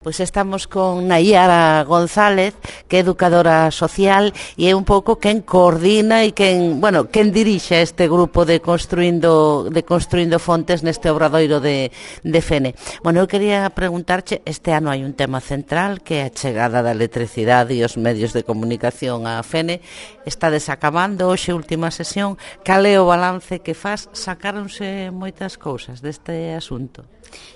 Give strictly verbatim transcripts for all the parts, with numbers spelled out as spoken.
Pois estamos con Nayara González, que é educadora social e é un pouco quen coordina e quen, bueno, quen dirixe este grupo de construindo de construindo fontes neste obradoiro de de Fene. Bueno, eu quería preguntarche, este ano hai un tema central que é a chegada da electricidade e os medios de comunicación a Fene. Está desacabando hoxe última sesión. Cal é o balance que faz? Sacáronse moitas cousas deste asunto.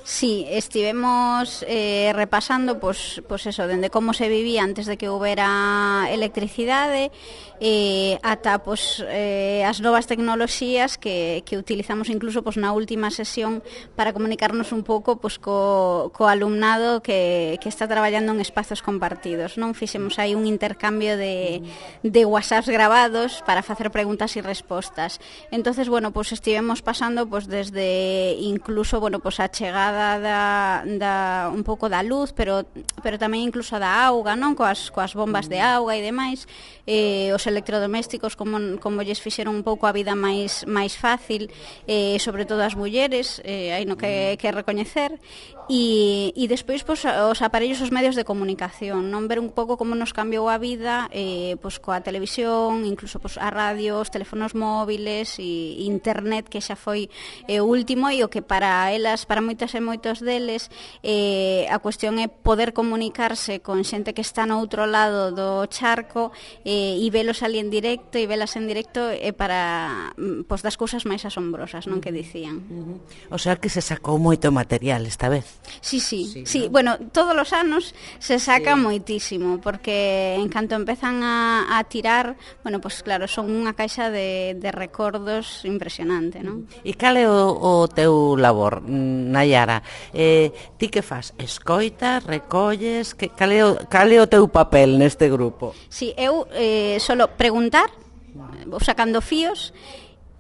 Sí, estivemos eh, repasando pois, pois eso, dende como se vivía antes de que houbera electricidade eh, ata pois, eh, as novas tecnoloxías que, que utilizamos incluso pois, na última sesión para comunicarnos un pouco pois, co, co alumnado que, que está traballando en espazos compartidos, non? Fixemos aí un intercambio de, de whatsapps grabados para facer preguntas e respostas. Entonces, bueno, pois estivemos pasando pois, desde incluso, bueno, pois a chegada da, da un pouco da luz, pero pero tamén incluso da auga, non? Coas coas bombas de auga e demais, eh, os electrodomésticos como como lles fixeron un pouco a vida máis máis fácil, eh, sobre todo as mulleres, eh, hai no que que recoñecer. E, e despois pois, os aparellos, os medios de comunicación, non, ver un pouco como nos cambiou a vida eh, pois, coa televisión, incluso pois, a radio, os teléfonos móviles e internet, que xa foi eh, o último, e o que para elas, para moitas e moitos deles eh, a cuestión é poder comunicarse con xente que está no outro lado do charco eh, e velos ali en directo e velas en directo é eh, para pois, das cousas máis asombrosas, non, que dicían. Uh-huh. O sea que se sacou moito material esta vez. Sí, sí, sí, sí. ¿no? Bueno, todos os anos se saca sí. moitísimo, porque en canto empezan a, a tirar, bueno, pues claro, son unha caixa de, de recordos impresionante, non? E cal é o, o teu labor, Nayara? Eh, ti que fas? Escoitas, recolles? Que, cal, é o, cal é o teu papel neste grupo? Sí, eu eh, solo preguntar, vou sacando fíos,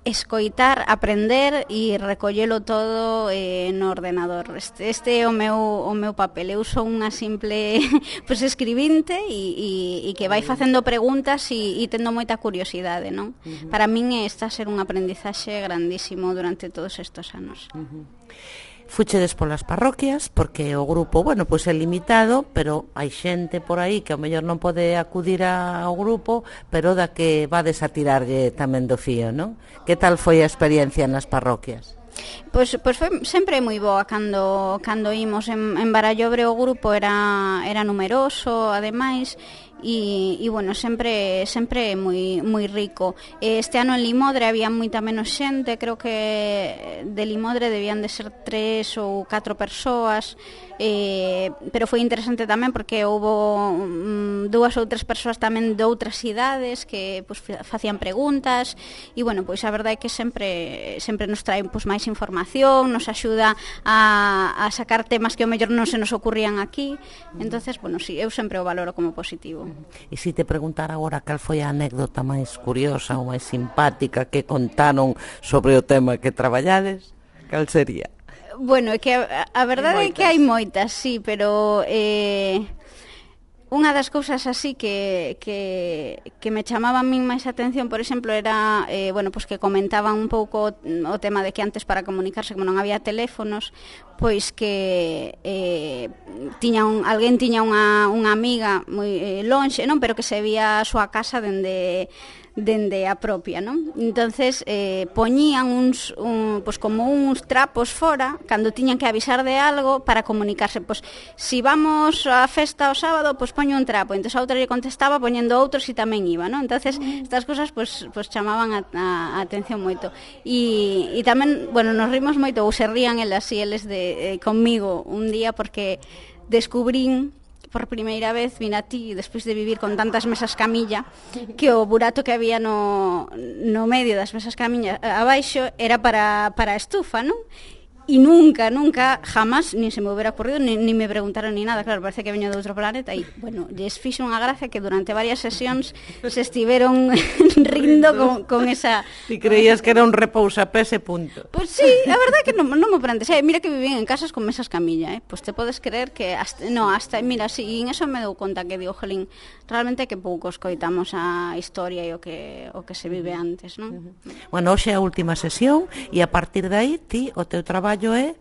escoitar, aprender e recollelo todo eh, no ordenador. Este, este é o meu, o meu papel. Eu sou unha simple pues, escribinte e, e, e que vai facendo preguntas e, e tendo moita curiosidade, non? Uh-huh. Para min está a ser un aprendizaxe grandísimo durante todos estes anos. Uh-huh. Fuchedes polas parroquias, porque o grupo, bueno, pois é limitado, pero hai xente por aí que ao mellor non pode acudir ao grupo, pero da que vades a tirarlle tamén do fío, non? Que tal foi a experiencia nas parroquias? Pois, pois foi sempre moi boa cando, cando imos en, en Barallobre. O grupo era, era numeroso, ademais, e, e bueno, sempre sempre moi moi rico. Este ano en Limodre había moita menos xente, creo que de Limodre debían de ser tres ou catro persoas, eh, pero foi interesante tamén porque houve um, dúas ou tres persoas tamén de outras cidades que pues, facían preguntas e bueno, pois a verdade é que sempre sempre nos traen pues, máis información, nos axuda a, a sacar temas que ao mellor non se nos ocurrían aquí. Entonces, bueno, sí, eu sempre o valoro como positivo. E se te preguntar agora cal foi a anécdota máis curiosa ou máis simpática que contaron sobre o tema que traballades, cal sería? Bueno, é que a, a verdade é que hai moitas, sí, pero eh, unha das cousas así que, que, que me chamaba a min máis atención, por exemplo, era eh, bueno, pues que comentaban un pouco o tema de que antes para comunicarse, como non había teléfonos, pois que eh, tiña un, alguén tiña unha, unha amiga moi eh, lonxe, non, pero que se vía a súa casa dende dende a propia, non? Entonces eh, poñían uns un, pues como uns trapos fora cando tiñan que avisar de algo para comunicarse, pois si vamos á festa o sábado, pois poño un trapo, entonces a outra lle contestaba poñendo outros e tamén iba, non? Entonces estas cousas pois pues chamaban a, a, a atención moito. E, e tamén, bueno, nos rimos moito, ou se rían elas e eles de, eh, conmigo un día porque descubrín por primeira vez, vin a ti, despois de vivir con tantas mesas camilla, que o burato que había no, no medio das mesas camilla abaixo era para, para a estufa, non? E nunca, nunca, jamás, nin se me hubiera ocurrido, ni, ni me preguntaron ni nada. Claro, parece que veño de outro planeta. E, bueno, lles fixo unha gracia que durante varias sesións se estiveron rindo con, con esa... Ti creías que era un repousapés e punto. Pois pues sí, a verdade que non, non me prendes. Eh, mira que vivín en casas con mesas camilla, eh. Pois pues te podes creer que... Hasta, no, hasta, mira, sí, e en eso me dou conta que digo, jolín, realmente que pouco escoitamos a historia e o que, o que se vive antes, non? Bueno, hoxe é a última sesión e a partir de aí ti, o teu traballo é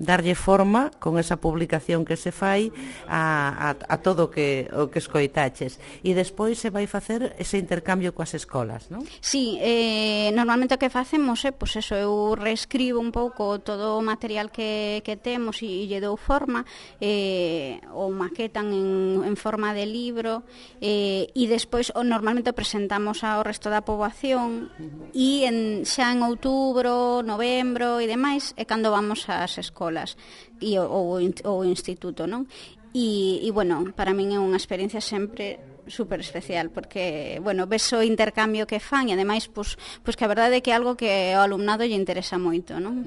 darlle forma con esa publicación que se fai a, a, a todo o que, o que escoitaches. E despois se vai facer ese intercambio coas escolas, non? Sí, eh, normalmente o que facemos é, pois eso, eu reescribo un pouco todo o material que, que temos e, e lle dou forma, eh, ou maquetan en, en forma de libro, eh, e despois o, normalmente o presentamos ao resto da poboación e en, xa en outubro, novembro e demais é cando vamos ás escolas e o, o, o instituto, non? E, e bueno, para min é unha experiencia sempre super especial, porque, bueno, ves o intercambio que fan e ademais, pois, pois que a verdade é que é algo que ao alumnado lle interesa moito, non?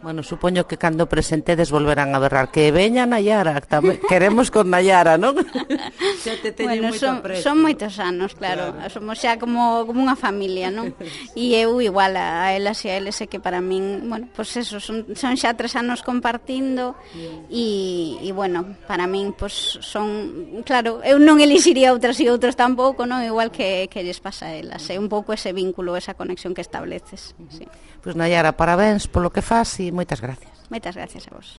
Bueno, supoño que cando presentedes volverán a berrar que veña Nayara, tamén queremos con Nayara, non? Xa te teñen bueno, moito son, aprecio. son moitos anos, claro, claro. Somos xa como, como unha familia, non? E eu igual a, a elas e a eles é que para min, bueno, pois pues eso, son, son xa tres anos compartindo e, e bueno, para min, pois pues, son, claro, eu non elixiría outras e outros tampouco, non? Igual que, que lles pasa a elas. É un pouco ese vínculo, esa conexión que estableces. Sí. Pois Nayara, parabéns polo que faz e moitas gracias. Moitas gracias a vos.